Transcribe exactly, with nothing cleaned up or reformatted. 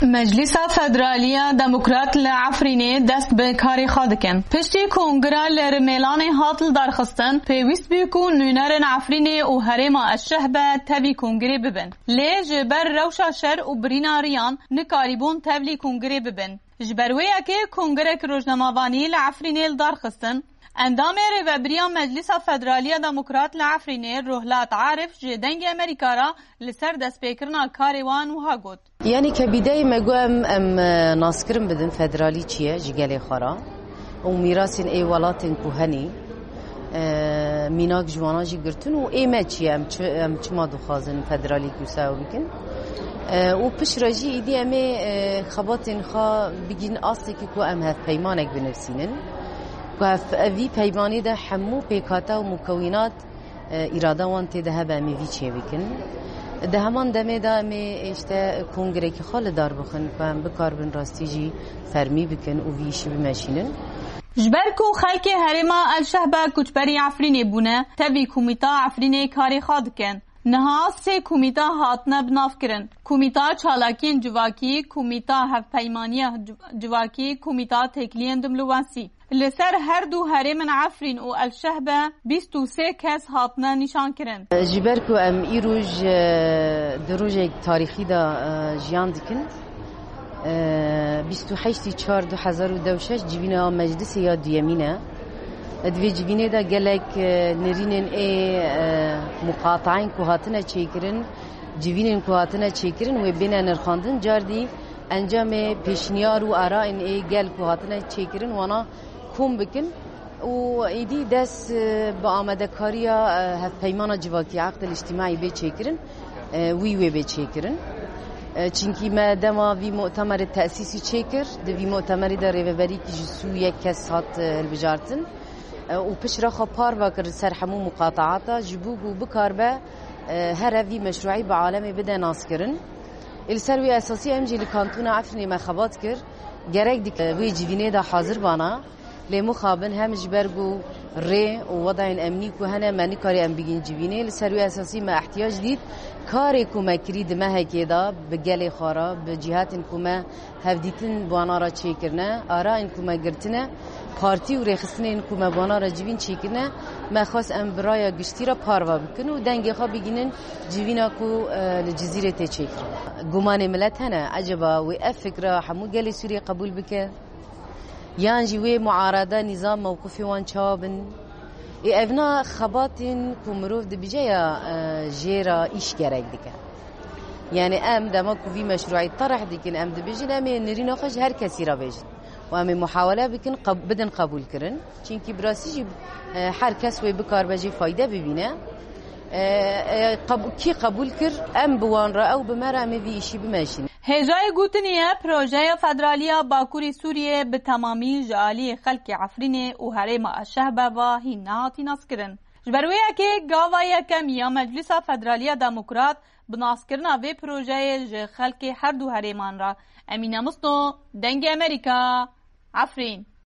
Meclisa Federalî ya Demokrat li Efrînê dest bi karê xwe dikin. Piştî kongira li Rimêlanê hat lidarxistin, pêwîst bû ku nûnerên Efrînê û herêma Eşşehbe tevî kongirê bibin. Lê ji ber rewşa şer û birîna riyan nikarîbûn tevlî kongirê bibin. Ji ber wê yekê kongerek rojnamevanî li Efrînê lidarxistin. Endamê Rêvebiriya Meclisa Federalî ya Demokrat li Efrînê Rohlat Arif ji Dengê Amerîka re li ser destpêkirina karê wan wiha got. Yanî ke bîdeyê me got em, em, e, naskirin bidin federalî çi ye ji gelê xwe re û mîrasên ê welatên ku henî, e, mînak ji wana jî girtin û ê me çi ye, em çi, em çima dixwazin federalî wisa bikin. E, û piştre jî îdî em ê, e, xebatên xwe bigîn astekî ku em hevpeymanek binivîsînin. Ku ev, ev vî peymanî de hemû pêkhate û mukewînat, e, îrada wan tê de hebe, em ê vî çê bikin. Di heman demê de em ê, işte, kongrekî xwe li dar bixin, ku em bikaribin rastî jî fermî bikin û vî îşî bimeşînin. Ji ber ku xelkê herêma El Şehbe koçberî Efrînê bûne, tevî Komîta Efrînê karê xwe dikin. Niha sê komîta hatine binavkirin. Komîta Çalakiyên Civakî, Komîta Hevpeymaniya Civ-, Civakî, Komîta Têkiliyên Dimlowasî. Li ser her du herêmên Efrîn û El Şehbe bîst û sê kes hatine nîşankirin. Ji ber ku em îroj, e, di rojek tarîxî de, e, jiyan dikin, e, bîst û heştê çar du hezar û deh û şeş civîna meclisê ya duyemîn e. Di vê civînê de gelek, e, nirînên ê, e, muqatayên ku hatine çêkirin, civînên ku hatine çêkirin wê bêne nirxandin, cardî encamê pêşniyar û arayên ê gel ku hatine çêkirin wana kom bikin û êdî dest, e, bi amadekariya, e, hevpeymana civakî, eqdil îctimaî bê çêkirin, e, wî wê bê çêkirin. E, çinkî me dema vî mutemerê tesîsî çêkir, di vî mutemerî de rêveberîkî ji sû yek kes hat, e, hilbijartin. E, û piştre xwe parve kir ser hemû muqataata, ji bo ku bikarbe, e, here vî meşrûî bi alemê bide naskirin. Ê li ser wî esasî em jî li Kantona Efrînê me xebat kir. Gerek dike wê civînê de hazir bana. Lê mixabin hem ji ber ku rê û wedayên emnî ku hene me nikarî em bigîn civînê. Li ser wî esasî me ihtiyac dît karê ku me kirî di mehekê de bi gelê xwe re, bi cîhatên ku me hevdîtin bi wana re çêkirine, arayên ku me girtine, partî û rêxistinên ku me bi wana re civîn çêkirine, me xwest em bi raya giştî re parve bikin û dengê xwe bigînin civîna ku, e, li Cizîrê tê çêkirin. Gumanê milet hene, eceba wê ev fikra hemû gelê Sûriyê qebûl bike? Yan jî wê muarada nîzam mewqifê wan çawa bin? Ê evna xebatên ku mirov dibije ya, e, jê re îş gerek dike. Yani em dema ku vî meşruî terih dikin, em dibêjin, em ê nirîna xwe ji her kesî re bêjin. Û em ê muhawele bikin, qeb-, bidin qebûlkirin. Çinkî bi rastî jî, e, her kes wê bikarbe jê fayde bibîne. E, e, qeb-, kî qebûl kir, em bi wan re, ew bi me re, em ê vî îşî bimeşînin. Hêjayê gotinê ye, projeya federalî ya Bakurê Sûriyê bi temamî ji aliyê xelkê Efrînê û herêma Eşşehbe ve hîn nehatî naskirin. Ji ber wê yekê gava yekem ya Meclisa Federalî ya Demokrat bi naskirina vê projeyê ji xelkê her du herêman re. Emîne Misno, Dengê Amerîka, Efrîn.